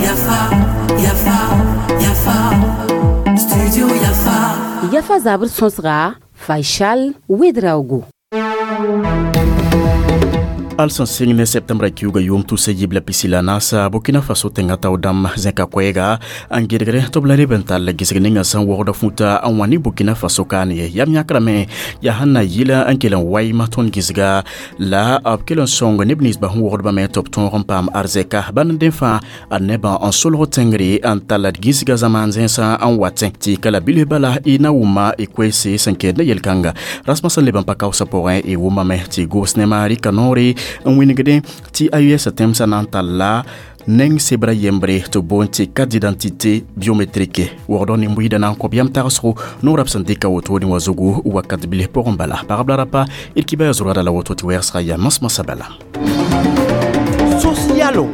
Yafa, Yafa, Yafa, Studio Yafa. Yafa zabr sõsga Faisal Ouedraogo. Al sẽn sɩng ne septembra kiuga yʋʋm tusa yib la pisi la naasa Burkina Faso tẽngã tao dãmb zẽka koɛɛga n gɩdgre tɩ b la reb n tall gɩsg ninga sẽn wogda fũta n wã ne Burkina Faso kaan ye yam yãkrame yaa sẽn na yɩla n kell n waɩm tõnd gɩsga la b kell n sõng neb ninsbã sẽn wogdbã me tɩ b tõog n paam arzɛka bãnd n dẽ fãa ad nebã n solg tẽngre n tall d gɩsga zamaan zẽnsã n watẽ tɩ ka la bilf bala y na wʋma y koeese sẽn kɛɛd ne yel-kãnga rasmã sẽn leb n pa kaoosã pʋgẽ y wʋmame tɩ gos nema rɩka noore n wingdẽ tɩ AES tẽmsã na n talla neng sebra yembre tɩ boond tɩ carte d'identité biométrique wogdg nin-buiidã na n kõb yam tagsgo noorã b sẽn dɩka wotone wã zugu wakat bilf pʋgẽ bala pagb la rapa d kibaya zʋrgã la woto tɩ wɛɛgsga yaa masmasã bala. Socialo.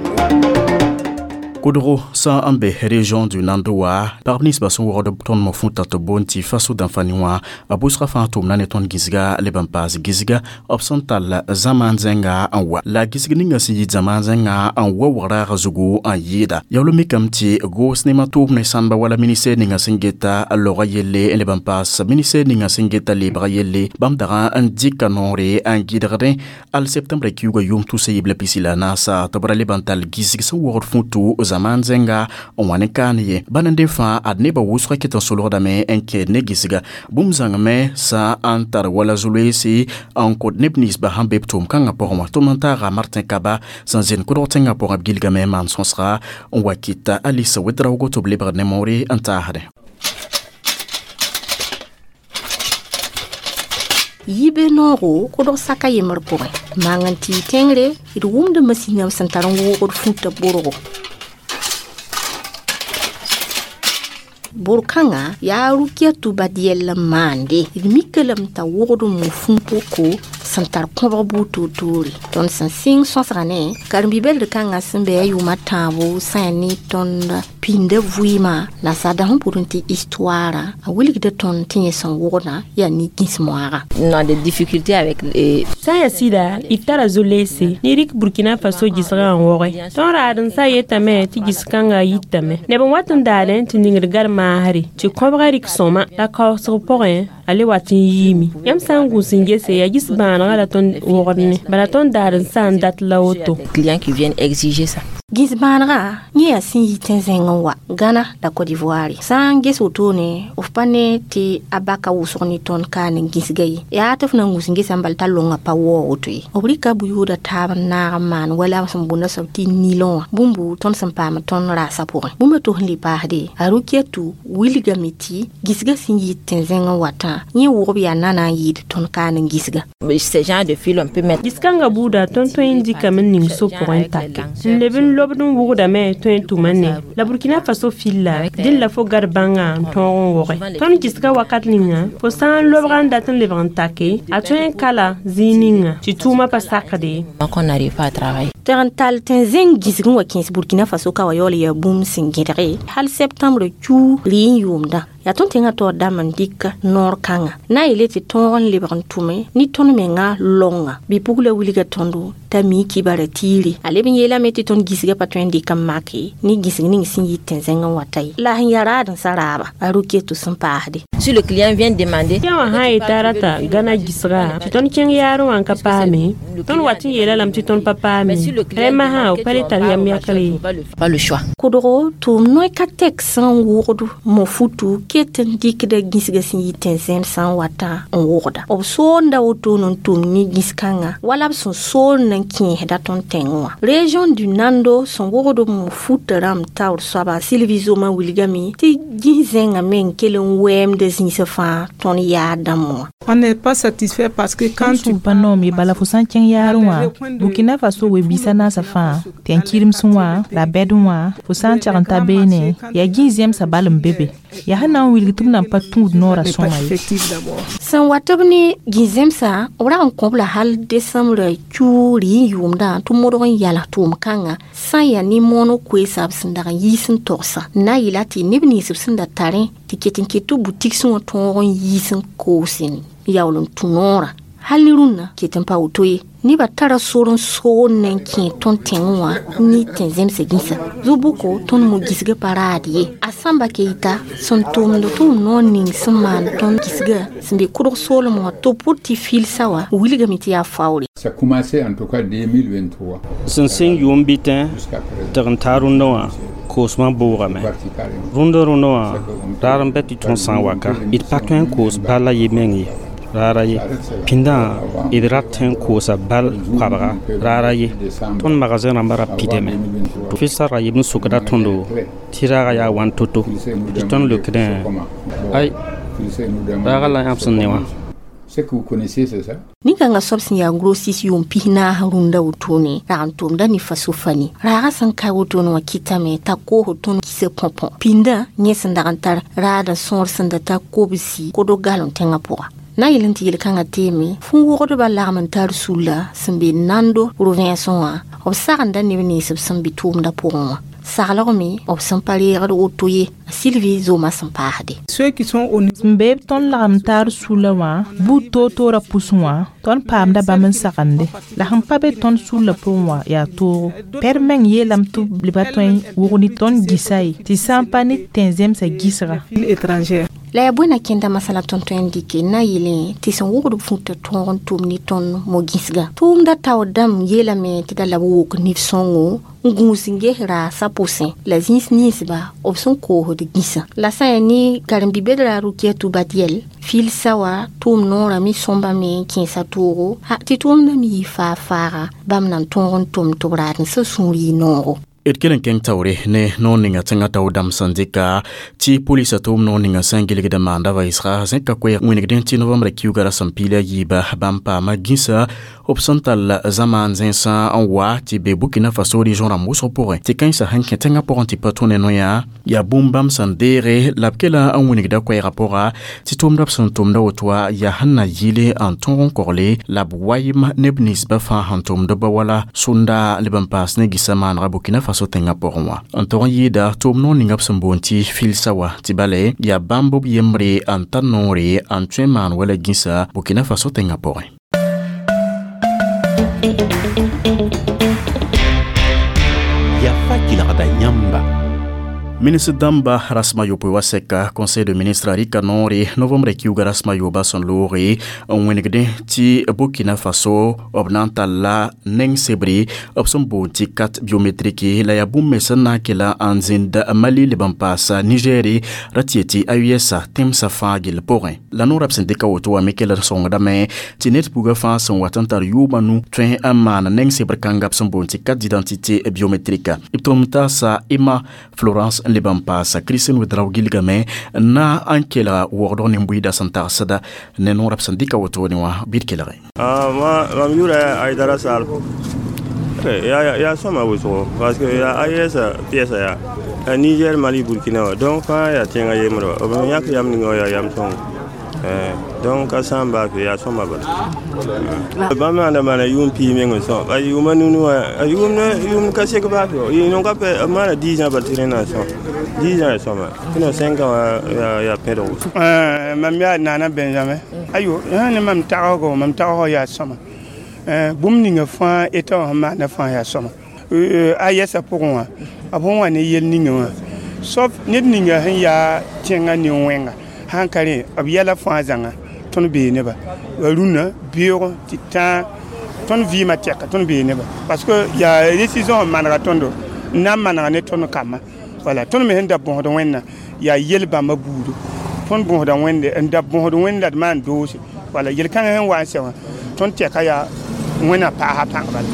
Kodgo sã n be région du Nando wã pagb ninsbã sẽn wogd tõnd mo fũta tɩ boond tɩ Faso dãnfani wã a bʋsga fãa tʋmna ne tõnd gĩsga leb n paas gĩsga b sẽn tall zamaan zẽnga n wa la gĩsg ninga sẽn yit zamaan zẽnga n wa wagraagã zugu n yɩɩda yaool mikame tɩ goos nema tʋʋm ne sãmba wala ministɛr ninga sẽn geta loga yelle n leb n paas ministɛr ninga sẽn geta leebga yelle bãmb dagã n dɩka noore n gɩdgdẽ al septembre kiuga yʋʋm tusa yib la pisi la naasa tɩ b ra leb n tall gĩsg sẽn wogd fũtu zaman zẽnga n wa ne kaan ye bãn n dẽ fãa ad nebã wʋsgã ket n solgdame n kẽed ne gɩsga bũmb zãngame sã n tar wala zu-loeese n kõt neb ninsbã sẽn be b tʋʋm-kãngã pʋgẽ wã tʋm n taaga Martin Kaba sẽn zẽnd kʋdg tẽngã pʋgẽ b gilgame n maan sõsga n wa kɩta Alice Ouedraogo tɩ b lebgd ne moore n taasdẽ. Yibe noogo kʋdg saka yembr pʋgẽ maang n tɩ y tẽngre d wʋmda masĩnam sẽn tar n woogd fũta borgo. Bor-kãngã yaa Rukiatu Badiel n maande d mika lame t'a wogd n mo fũu-poko sẽn tar kõbg buud toor-toore. Tõnd sẽn sɩng sõsga ne karen-bi-beld kãngã sẽn be a yʋʋma tãabo sã ne tõnd pĩnda vɩɩmã la sada sẽn pʋd n tɩ histoara a wilgda tõnd tɩ yẽ sẽn wogdã yaa ne gĩs-moaagã. On a des difficultés avec les Sã n yaa sɩda d tara zo-leese ne rɩk Burkina Faso gɩsgã n woge tõnd raad n sa yetame tɩ gɩs-kãngã yitame neb n wat n daadẽ tɩ ningd gar maasre tɩ kõbga rɩk sõma la kaoosg pʋgẽ a le wat n yiime yãmb sã n gũus n gese yaa gɩs-bãanegã la tõnd wogd ne bala tõnd daad n sã n dat la woto. Clients qui viennent exiger ça. Gĩs-bãanegã yẽ yaa sẽn yi tẽn-zẽng n wa Ghana la Côte d'Ivoire sã n ges wotone f pa ne tɩ a baka wʋsg ne tõnd kaan n gĩsga ye yaa tɩ f na n gũus n gesa n bal t'a longa pa waoog woto ye b rɩka bʋ-yooda taab n naag n maan wala sẽn boonda soab tɩ nilon wã bũmbu tõnd sẽn paam tõnd raasã pʋgẽ bũmba tos n le paasde a Rukiatu wilgame tɩ gĩsga sẽn yit tẽn-zẽng n watã yẽ wʋgb yaa nana n yɩɩd tõnd kaan n gĩsga. Ce genre de fil on peut mettre. Gĩs-kãngã buuda tõnd tõe n dɩkame n ning so pʋgẽ n take n leb n lobd n wʋgdame tõe n tʋma ne la Burkina Faso filla dẽn la fo gad bãngã n tõog n woge tõnd gɩsga wakat ninga fo sã n lobga n dat n lebg n take a tõe n kala zĩig ninga tɩ tʋʋmã pa sakde. Qu'on n'arrive pas à travailler. Tɩg n tall tẽn-zẽng gĩsg n wa kẽes Burkina Faso ka wa yaool yaa bũmb sẽn gẽdge hal septembre kiu rɩ n yʋʋmdã yaa tõnd tẽngã taoor dãmb n dɩk noor kãngã na n yeele tɩ tõog n lebg n tʋme ne tõnd mengã longa bɩ-pugla wilga tõndo t'a mi kibara tiire a leb n yeelame tɩ tõnd gĩsgã pa tõe n dɩk n make ne gĩsg ning sẽn yit tẽn-zẽng n wata ye la sẽn yaa raad n sa raaba a Rukiatu sẽn paasde. Si le client vient demander Yã wã sã n yeta rata Gana gɩsga tɩ tõnd kẽng yaarẽ wã n ka paame tõnd wat n yeela lame tɩ tõnd pa paame rẽ masã b pa le tar yam yakre ye. Pas le choix. Kʋdgo tʋʋm noy ka tek sẽn wogd mo-futu ket n dɩkda gĩsga sẽn yit tẽn-zẽnd sã n watã n wogda b soonda wotone n tʋm ne gĩs-kãngã wala b sẽn soond n kẽesda tõnd tẽngẽ wã région du Nando sẽn wogd mo-futã rãmb taoor soaba Sylvie Zoma wilgame tɩ gĩs-zẽngã me n kell n wɛɛmda zĩisã fãa tõnd yaad dãmb wã. On n'est pas satisfait parce que quand tu pa noome bala fo sã n kẽng yaarẽ wã Burkina Faso we-biisã naasã fãa tɩ n kɩremsẽ wã la bɛd wã fo sã n tɛg n ta beene yaa gĩs-zẽmsã bal n be be yaa sẽn na n wilg tɩ b nan pa tũud noorã sõma ye. Sẽn wat b ne gĩs-zẽmsã b rag n kõb la hal desembrã kiu rɩ n yʋʋmdã tɩ modg n yals tʋʋm-kãngã sã n yaa ne mooneg koeesa b sẽn dag n yiis n togsã n na n yeela tɩ neb nins b sẽn da tarẽ tɩ ket n ket tɩ butiksẽ wã tõog n yiis n koos n yaool n tũ noorã Hal ne rũnnã ket n pa woto ye. Nebã tara sor n soog n na n kẽ tõnd tẽngẽ wã ne tẽn-zemsã gĩsa. Zu-bʋko tõnd mo-gĩsgã pa raad ye. A sãmba ke yita sẽn tʋmd tʋʋm noor ning sẽn maan tõnd gĩsgã sẽn be kʋdg soolem wã tɩ b pʋd tɩ filsa wã wilgame tɩ yaa faoore. Ça commençait en tout cas 2023. Sẽn sɩng yʋʋm bitẽ tɩg n taa rũndã wã koosmã bʋʋgame. Rũndã rũndã wã raar n bɛ tɩ tõnd sã n wa ka d pa tõe n koos bal a ye meng ye raara ye. Pĩndã d rat tõe n koosa bal koabga raara ye. Tõnd magazẽ rãmbã ra pidame. Fɩlsa ra yeb n sokda tõndo tɩ raaga yaa wãn to-to tɩ tõnd leokdẽ ay raaga la yãmb sẽn ne wã. Ce que vous connaissez, c'est ça? Nin-kãngã soab sẽn yaa grosis yʋʋm pis-naas rũndã wotone rag n tʋmda ne faso fani. Raagã sẽn ka wotone wã kɩtame t'a koosd tõnd kisa põ-põ. Pĩndã yẽ sẽn dag n tar raadã sõor sẽn da tar kobsi kodg galem tẽngã pʋga. Na n yel n tɩ yel-kãngã teeme fũu wogdbã lagm n tar sulla sẽn be nando rovẽnsẽ wã b sagenda neb nins b sẽn be tʋʋmdã pʋgẽ wã. Saglg me b sẽn pa reegd woto ye. Sylvie zoomã sẽn paasde. Ceux qui sont au Sẽn beeb tõnd lagem taar sulla wã buud toor-toorã pʋsẽ wã tõnd paamda bãmb n sagende. La sẽn pa be tõnd sulla pʋgẽ wã yaa toogo. Pɛd meng yeelame tɩ b leba tõe n wʋg ne tõnd gɩsa ye tɩ sã n pa ne tẽn-zemsã gɩsga. Étrangère. La yaa bõe na kẽnda masala tõnd tõe n dɩke n na n yeelẽ tɩ sẽn wʋgd b fũta tõog n tʋm ne tõnd mo-gĩsga. Tʋʋmda taoor dãmb yeelame tɩ da la b wok nif-sõngo n gũus n ges raasã pʋsẽ la zĩis ninsba b sẽn koosd gĩsã. La sã n yaa ne karen-bi-bedra Rokiatou Badiel filsa wã tʋʋm noorã me sõmbame n kẽesa toogo tɩ tʋʋmdã me yɩ faag-faaga bãmb na n tõog n tʋm tɩ b raad n sã sũur yɩ noogo. D kell n kẽng taoore ne noor ninga tẽngã tao dãmb sẽn dɩka tɩ polisa tʋʋm noor ninga sẽn gilgd n maanda vɩɩsga zẽka koɛɛg wĩnigdẽ tɩ novembrã kiuga ra sẽn piila yiiba bãmb paama gĩsa b sẽn tall zamaan zẽnsã n wa tɩ be Burkina Faso région rãmb wʋsg pʋgẽ tɩ kãensã sẽn kẽ tẽngã pʋgẽ tɩ pa tũ ne noyã yaa bũmb bãmb sẽn deege la b kela n wĩnigda koɛɛgã pʋga tɩ tʋʋmda b sẽn tʋmda woto wã yaa sẽn na yɩle n tõog n kogle la b wayem neb ninsbã fãa sẽn tʋmd ba wala sũnda leb n paas ne gɩsã maanega Burkina Faso tẽngã pʋgẽ wã n tog n yɩɩda tʋʋm noor ninga b sẽn boond tɩ filsa wã tɩ bale yaa bãmb b yembre n tar noore n tõe n maan wala gĩsa Burkina Faso tẽngã pʋgẽ. Yafa kelgda yãmba. Ministre dãmba rasmã yopoe wa sɛka conseil de ministre rɩka noore novembre kiuga rasmã yooba sẽn looge n wĩnigdẽ tɩ Burkina Faso b na n talla neng sebre b sẽn boond tɩ carte biométrique la yaa bũmb me sẽn na n kela n zĩnd Mali leb n paasa Nigɛre ra tɩ yetɩ AES tẽmsã fãa gill pʋgẽ. La noorã b sẽn dɩka woto wã me kell n sõngdame tɩ ned pugã fãa sẽn wat n tar yʋʋmã nu tõe n maan neng sebr kãnga b sẽn boond tɩ carte d'identité biométrique. B tʋm taasa Emma Florence n leb n paasa Christine Ouedraogo gilgame na n kelga wogdg nin-buiidã sẽn tagsda ne noorã b sẽn dɩka wotone wã bɩ d kelge. Mam yʋʋra Aïdara Sall. Yaa sõma wʋsgo parce que yaa AES piɛsa yaa Niger, Mali, Burkina wã donc fãa yaa tẽngã yembre wã b yãk yam ninga wã yaa yam sõngo. Donc ka sã n baa fɩ yaa sõma bala. Bãmb maanda maana yʋʋm piig meng n sõm a yʋʋma nunu wã a yʋʋm ka sek baa fɩ yɩ ka pa maana 10 ans bal tɩ rẽnd na n sõm 10 ans ya sõma tɩ 5 ans wã yaa pẽdg wʋsgo. Mam yaa Nana Benjamin ayo ne mam tagsgo mam tagsg yaa sõma bũmb ninga fãa eta wã sẽn maanda fãa yaa sõma a yɛsã pʋgẽ wã b sẽn wa ne yel ninga wã sauf ned ninga sẽn yaa tẽngã nin-wẽnga sãn ka rẽ b yɛla fãa zãnga tõnd bee neba rũnnã beoog tɩ tãa tõnd vɩɩmã tɛka tõnd bee neba parce que yaa décision sẽn manega tõndo n na n manega ne tõnd kambã wala tõnd me sẽn da bõsd wẽnna yaa yel bãmba buudu tõnd bõsda wẽnde n da bõsd wẽnd la d maan doose wala yel-kãngã sẽn wa n sɛ wã tõnd tɛka yaa wẽnna paasa pãng bala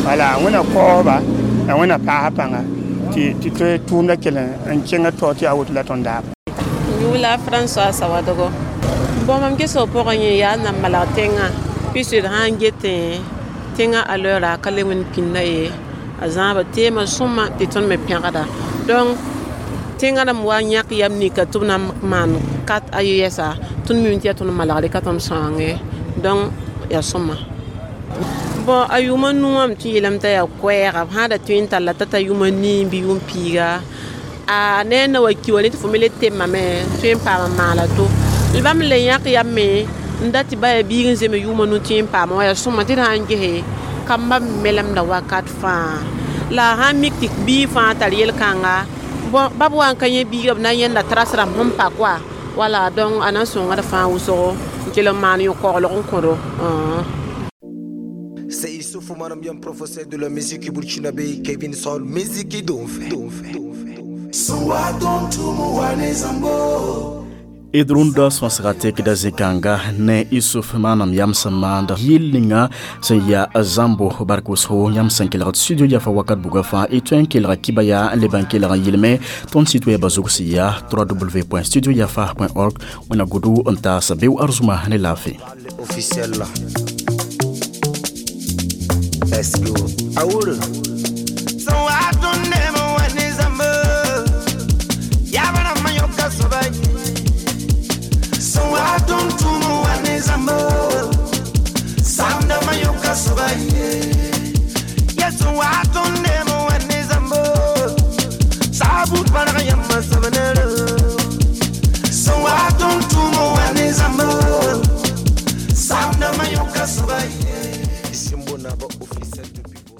wala wẽnna kaoosba la wẽnna paasa pãnga tɩ tʋʋmda kell n kẽngã taoor tɩ yaa woto la tõnd daaba. Yula François Sawadogo. Bon mam gesg pʋgẽ yẽ yaa na n malg tẽngã puisque d sã n getẽ tẽngã a l'heure ka le wẽnd pĩnda ye a zãaba teemã sõma tɩ tõnd me pẽgda. Donc tẽngã rãmb wa n yãk yam nika tɩ b na n maan carte AES tõnd mim tɩ yaa tõnd malgre ka tõnd sõange donc yaa sõma. Bon a yʋʋma nu wã m tɩ yeelame t'a yaa koɛɛga b sã da tõe n talla t'a ta yʋʋma nii bɩ yʋʋm piiga a ne na wa ki wa ne tɩ fo me le temame tõe n paam n maala to. Bãmb le yãk yam me N dat tɩ ba yaa biig n zeme yʋʋma nu tɩ n paama wã yaa sõma tɩ d sã n gese kamba melemda wakat fãa la a sãn mik tɩ biig fãa tar yel-kãnga bon bab wa n ka yẽ biiga b na n yẽnda tras rãmb sẽn pak wa wala donc a na n sõngd fãa wʋsgo n kell n maan yõ-koglg n kõdo. C'est Issoufou Manambian, professeur de la musique burkinabé, Kevin Sol, musique d'Onfe. D rũndã sõsga tekda zĩ-kãnga ne Isuf maanam yam sẽn maand yɩl ninga sẽn yaa zãmbo bark wʋsgo yãmb sẽn kelgd studio Yafa wakat buga fãa y tõe n kelga kiba yaa n leb n kelg n yɩlme. Tõnd site wɛɛbã zug sẽn yaa www.studioyafa.org. Wẽna godo n taas beo arzuma ne laafɩ. Officiel. Let's go. Aour. So I don't never want is a Yabana mayoka sobai. So I don't do one is a Sanda mayoka sobai.